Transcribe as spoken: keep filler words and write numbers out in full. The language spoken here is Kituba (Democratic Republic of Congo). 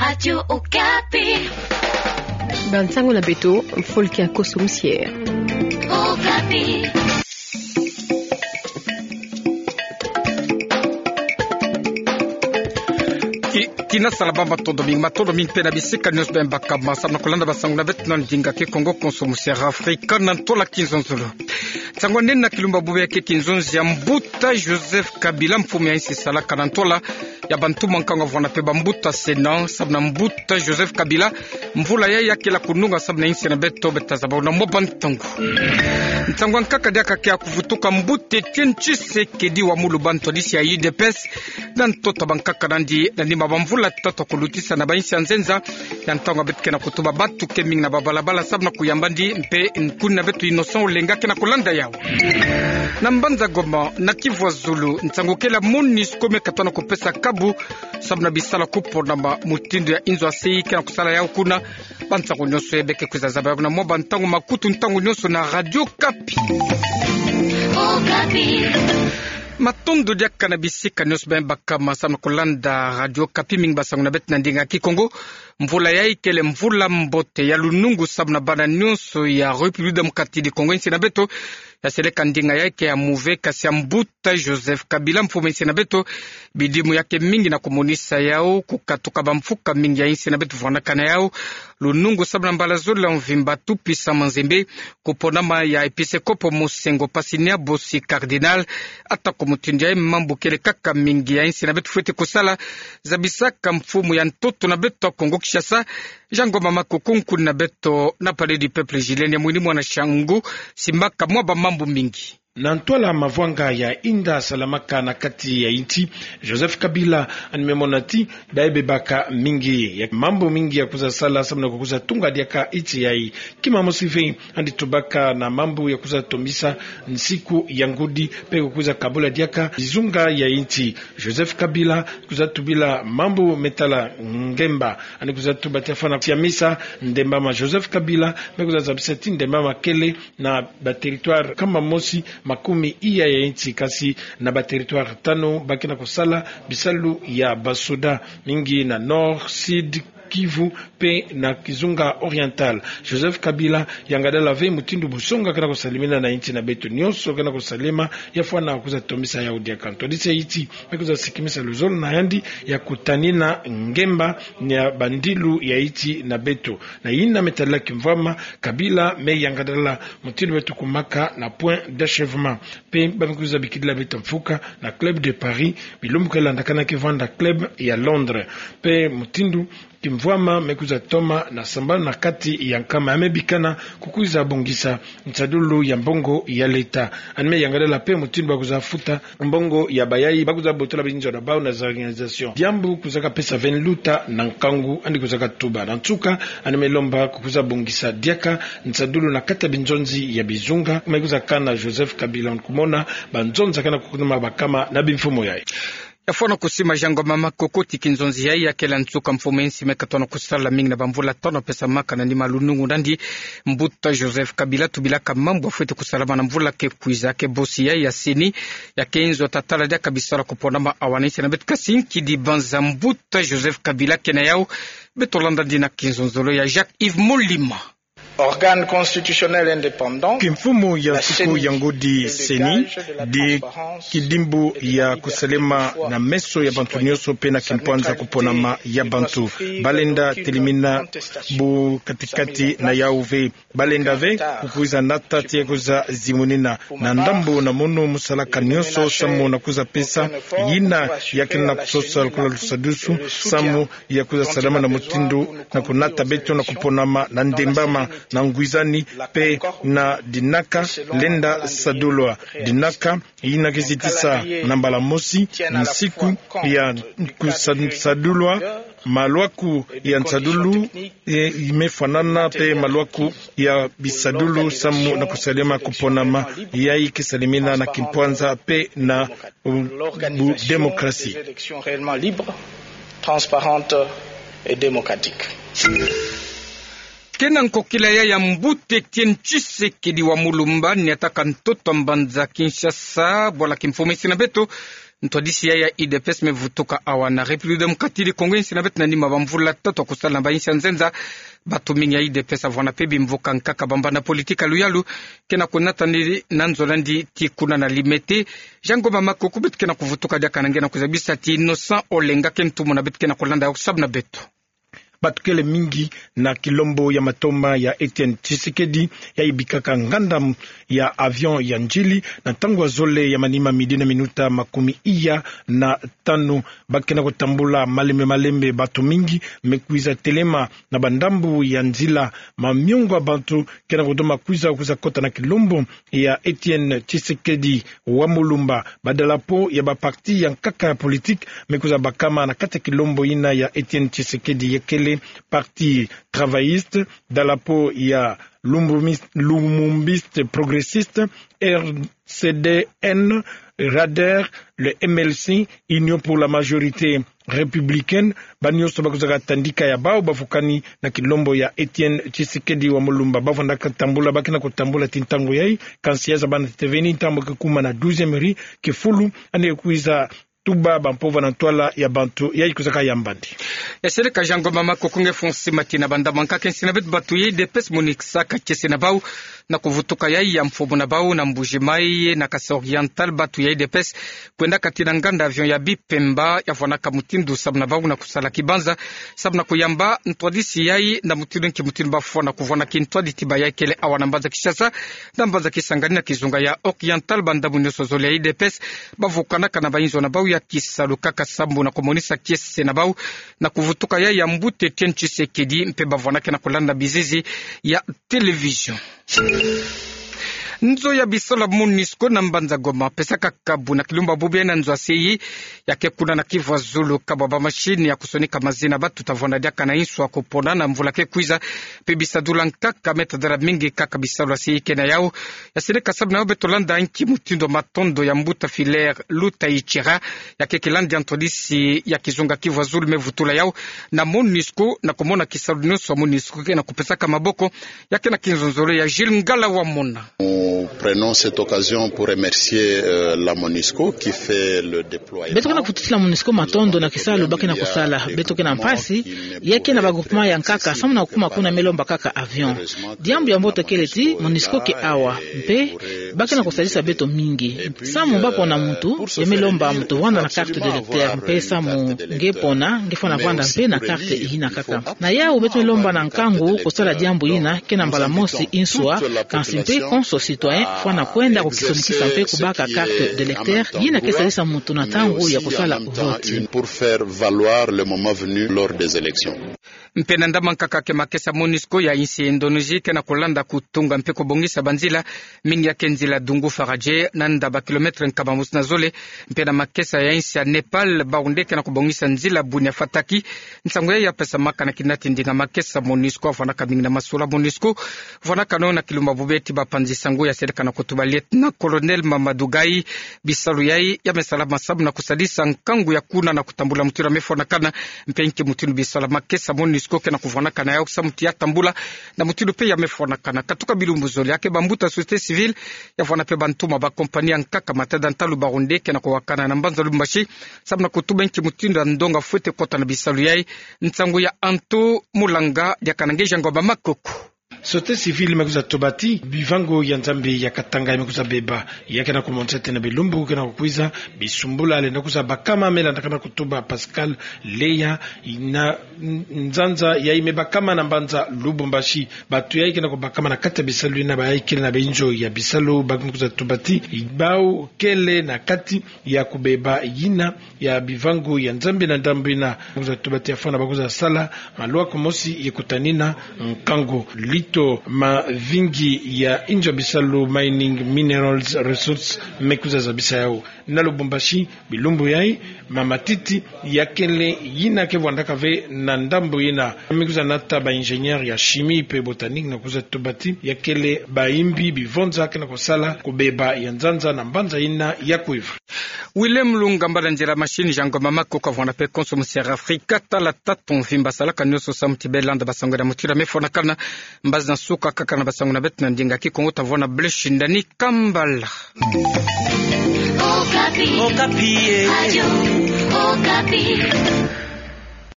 Radio Okapi. Bansango na beto, mfulki ya konso mosier. Okapi. Ki, kina sala ba matondo mingi, matondo mingi mpe na bisika nyonso beno baka ma samu na kulanda bansango na beto na ndinga Kikongo konso mosier Afrika na ntola kinzonzolo. Nsangu nene na kilumbu bubu ya ke kinzonzi ya mbuta Joseph Kabila, mfumu ya insi salaka na ntola ya bantu mwa nkangu avwanda mpe bambuta Sénat, samu na mbuta Joseph Kabila, mvula yayi ya kele kununga samu na insi na beto, beta zaba na mwa bantangu. Nsangu ya nkaka diaka ke ya kuvutuka mbuta Étienne Tshisekedi wa mu lubantu disi ya U D P S, na ntoto bankaka nandi, na nima bamvula tatu kulutisa na bainsi ya nzenza, ya ntangu beto ke na kutuba bantu ke mingi na babalabala samu na kuyamba ndi mpe nkuni na beto Innocent Olenga ke na kulanda yawu. Na mbanza Goma, na Kivu ya Zulu, nsangu kele ya MONUSCO me katona kupesa kabu samu na bisala kuponama mutindu ya inzo ya sei ke na kusala yawu kuna. Bansangu nyonso yayi beke kwiza zaba yawu na mwa bantangu makutu ntangu nyonso na Radio Okapi. Okapi. Matondo diaka na bisika nyonso beno baka ma samu na kulanda Radio Okapi, mingi bansangu na beto na ndinga Kikongo. Mvula yayi kele mvula mbote ya lunungu samu na bana nyonso ya République Démocratique du Congo, insi na beto. Ya seleka ndinga yayi ke ya muve, kasi ya mbuta Joseph Kabila, mfumu insi na beto, bidimu ya ke mingi na kumonisa yawu, kukatuka bamfuka mingi ya insi na beto vwandaka na yawu lunungu samu na mbala zole ya mvimba, tout-puissant Manzembe, kuponama ya episkopo Monseigneur Pasinia Bosi, cardinal. Atako mutindu yayi mambu kele kaka mingi ya insi na beto fwete kusala, zabisaka mfumu ya ntoto na beto ya Kongo-Kinshasa, Jean Ngoma Makoko, nkuni na beto na Palais du Peuple, Julien Mwini Mwana Shangu, simbaka mwa bamambu mingi. Na ntwala mavwanga ya inda salamaka na kati ya insi, Joseph Kabila yandi me mona ti baye bebaka mingi ya mambu mingi ya kwiza sala samu na kukwiza tunga diaka insi yayi. Kima mosi ve, yandi tubaka na mambu ya kwiza tomisa nsiku ya ngudi, mpe kukwiza kabula diaka bizunga ya insi. Joseph Kabila kwiza tubila mambu me tala ngemba. Yandi kwiza tuba ti afwana siamisa ndembama. Joseph Kabila me kwiza zabisa ti ndembama kele na ba territoire kama mosi makumi iya ya insi, kasi na ba territoire tanu ba ke na kusala bisalu ya basoda, mingi na Nord, Sud Kivu mpe na kizunga Oriental. Joseph Kabila yangadala ve mutindu busonga ke na kusalemina na insi na beto, nyonso ke na kusalema, ya fwana kwiza tomisa yawu diaka. Ntwadisi ya insi me kwiza sikimisa luzolo na yandi ya kutanina ngemba ya bandilu ya insi na beto. Na yina me tadila kimvwama, Kabila me yangadala mutindu beto kumaka na point d'achèvement. Mpe ba me kwiza bikidila beto mfuka na Club de Paris, bilumbu ke landakana ke vwanda club ya Londres. Mpe mutindu kimvwama me kwiza toma na sambanu na kati ya nkama ya me bikana kukwiza bongisa nsadulu ya mbongo ya leta. Yandi me yangadala mpe mutindu ba kwiza futa mbongo ya bayayi ba kwiza botola binzona bawu na za organisation. Diambu kwizaka pesa ve nluta na nkangu, yandi kwizaka tuba. Na nsuka, yandi me lomba kukwiza bongisa diaka nsadulu na kati ya binzonzi ya bizunga. Me kwiza kana Joseph Kabila, kumona banzonzi ke na kukunuma bakama na bimfumu yayi. Ya fwana kusima Jean Ngoma Makoko ti kinzonzi yayi ya kele ya nsuka, mfumu ya insi me katona kusala mingi na bamvula tanu pesamaka na nima lunungu nandi. Mbuta Joseph Kabila tubilaka mambu ya fwete kusalama na mvula ke kwiza. Ke bosi yayi ya CENI, ya ke inzo tatala diaka bisala kuponama awa na insi na beto, kasi nkidi banza mbuta Joseph Kabila ke na yawu. Beto landa ndi na kinzonzolo ya Jacques Yves Molima. Organe constitutionnel indépendant, kimfumu ya nsuku ya ngudi CENI, di kidimbu ya kusalema na meso ya bantu nyonso mpe na kimpwanza kuponama ya bantu. Ba lenda telimina bu kati-kati na yawu ve. Ba lenda ve kukwiza nata ti ya kwiza zimunina na ndambu na munu mu salaka nyonso samu na kwiza pesa yina ya ke na kusosa lokola lusadusu samu ya kwiza salama na mutindu na kunata beto na kuponama na ndembama, na ngwizani mpe na dinaka lenda sadulwa. Dinaka yina ke zitisa na mbala mosi nsiku ya kusa-, sadulwa malwaku ya nsadulu, e, me fwanana mpe malwaku ya bisadulu samu na kusalema kuponama. Yayi ke salemina na kimpwanza mpe na bu-, bu-, démocratie. Transparente et démocratique. Ke na nkokila yayi ya mbuta Étienne Tshisekedi wa Mulumba, niataka ntoto mbanza Kinshasa, bwala kimfumu ya insi na beto, Ntwadisi ya, ya U D P S me vutuka awa na République Démocratique du Congo, insi na beto na nima bamvula tatu ya kusala na bainsi ya nzenza. Bato mingi ya U D P S avwanda mpe bimvuka nkaka bambanda politique ya luyalu ke na kunata ni na nzo landi ti kuna na limete. Jean Ngoma Makoko, beto ke na kuvutuka diaka na nge na kuzabisa ti Innocent Olenga ke ntumwa na beto ke na kulanda yo sabu na beto. Bato kele mingi na kilombo ya matoma ya Étienne Tshisekedi, ya ibikaka nganda m-, ya avion ya njili, na ntangu ya zole ya manima, midi na minuta makumi iya na tanu. Ba ke na kutambula malembe malembe, bato mingi me kwiza telema na bandambu ya nzila. Mamiongo ya bato ke na kudoma kwiza, kwiza kota na kilombo ya Étienne Tshisekedi wa Mulumba. Badalapo ya baparti ya nkaka ya politique me kwiza bakama na kati ya kilombo yina ya Étienne Tshisekedi, ya kele Parti Travailliste, dalapo ya Lumbumis-, Lumumbiste Progressiste, R C D N, Rader, le M L C, Union pour la Majorité Républicaine. Ba nyonso ba kwizaka tandika ya bau bavukani na kilombo ya Étienne Tshisekedi wa Mulumba. Bavwandaka tambula, ba ke na kutambula ti ntangu yai, kansi ya zabana teteveni, ntangu ke kuma na douzième rue, kifulu, yandi kwiza tuba bampova na ntwala ya bantu yai kwizaka yambandi. Ya seleka Jean Ngoma Makoko, nge fo nsi mati na banda mwa nkaka, insi na beto bato ya U D P S monisaka kiese na bau na kuvutuka yai ya mfumu na bau na Mbuji-Mayi, na Kasaï Oriental, bato ya U D P S kwendaka tii na nganda avion ya Bipemba, ya vwanaka mutindu samu na bau na kusala kibanza, samu na kuyamba ntwadisi yai na mutindu nki mutindu bafwana kuvwana kintwadi ti ba yai kele awa na mbanza Kinshasa, na mbanza Kisangani na kizunga ya Oriental. Bandambu nyonso zole ya U D P S bavukanaka na bainzo na bau ya kisalu kaka samu na kumonisa kiese na bau na kuvutuka yai ya mbuta Étienne Tshisekedi, mpe bavwanaka na kulanda bizizi ya télévision. Nzo ya bisalu ya MONUSCO na mbanza Goma pesaka kabu na kilumbu bubu yai na nzo ya se yi, ya ke kuna na Kivu ya Zulu, kabu ya bamashini ya kusonika mazina bato ta vwanda diaka na inswa kupona na mvula ke kwiza. Mpe bisadula nkaka me tadala mingi kaka bisalu ya se yi ke na yau. Ya seleka samu na yau beto landa nki mutindu matondo ya mbuta Filaire Lutayichira, ya ke kilandi ya ntwadisi ya kizunga Kivu ya Zulu, me vutula yau na MONUSCO, na kumona kisalu nyonso ya MONUSCO ke na kupesaka maboko. Ya ke na kinzonzolo ya Jules Ngala Wamona. Nous prenons cette occasion pour remercier, euh, la MONUSCO qui fait le déploiement. Beto ke na kufututila MONUSCO matondo na kisalu ba ke na kusala. Beto ke na mpasi, ya ke na ba groupement ya nkaka, samu na kukuma kuna me lomba kaka avion. Diambu ya mbote kele ti MONUSCO ke awa, mpe ba ke na kusalisa beto mingi. Samu ba pona muntu, ya me lomba muntu vwanda na carte d'électeur, mpe samu nge pona, nge fwana vwanda mpe na carte yina kaka. Na yau beto me lomba na nkangu kusala diambu yina, ke na mbala mosi inswa, kansi mpe konso citoyen fwana kwenda kukisonikisa mpe kubaka carte d'électeur, yina ke salisa muntu na ntangu ya kusala vote. Pour faire valoir le moment venu lors des élections. Mpe na ndambu ya nkaka ke makesa MONUSCO ya insi Indonésie ke na kulanda kutunga mpe kubongisa banzila, mingi ya ke nzila Dungu Faradje, na nda ba kilomètre nkama mosi na zole, mpe na makesa ya insi ya Népal, bau nde ke na kubongisa nzila Bunia Fataki. Nsangu yai ya pesamaka na kinati ndinga makesa MONUSCO, vwanaka mingi na masolo MONUSCO vwanaka na yo na kilumbu bubu yai ti bapanzi nsangu. Ya seleka na kutuba lieutenant-colonel Mamadou Gaye, bisalu yai ya me salama samu na kusalisa nkangu ya kuna na kutambula mutindu ya me fwanakana, mpe nki mutindu bisalu ya makesa MONUSCO ke na kuvwanaka na yau samu ti ya tambula na mutindu mpe ya me fwanakana. Katuka bilumbu zole, ya ke bambuta société civile, ya vwana mpe bantumwa ba compagnie ya nkaka, matada ntalu, bau nde ke na kuwakana na mbanza Lubumbashi samu na kutuba nki mutindu ya ndonga fwete kota na bisalu yai. Nsangu ya Anto Mulanga, diaka na nge Jean Ngoma Makoko. Société civile me kwiza tuba ti bivangu ya Nzambi ya Katanga ya me kwiza beba. Ya ke na kumonisa ti na bilumbu ke na kukwiza, bisumbula lenda kwiza bakama, me landaka na kutuba Pascal Leya, na nzanza yai me bakama na mbanza Lubumbashi. Bato yai ke na kubakama na kati ya bisalu yina ba yai kele na binzo ya bisalu, ba ke na kwiza tuba ti bau kele na kati ya kubeba yina ya bivangu ya Nzambi na ndambu yina. Kwiza tuba ti ya fwana ba kwiza sala malwa kumosi ye kutanina nkangu. Lito Mavingi ya inzo ya bisalu Mining Minerals Resources me kwiza zabisa yau. Na Lubumbashi, bilumbu yai, mamatiti ya kele yina ke vwandaka ve na ndambu yina. Me kwiza nata ba ingénieur ya chimie mpe botanique na kwiza tuba ti ya kele bayimbi bivonza ke na kusala kubeba ya nzanza na mbanza yina ya kwiza. Willem Lunga, mbala nzila machine, Jean Ngoma Makoko, ka vwanda mpe konso mu Sierra Africa, tala tatu mvimba, salaka nyonso samu ti be landa ba nsangu na mutindu ya me fwanakana. Mbanza Zan suka kaka na basangu na bet na ndinga ki kongo tavona bleshi ndani kambal. Okapi. Okapi, eh. Radio Okapi.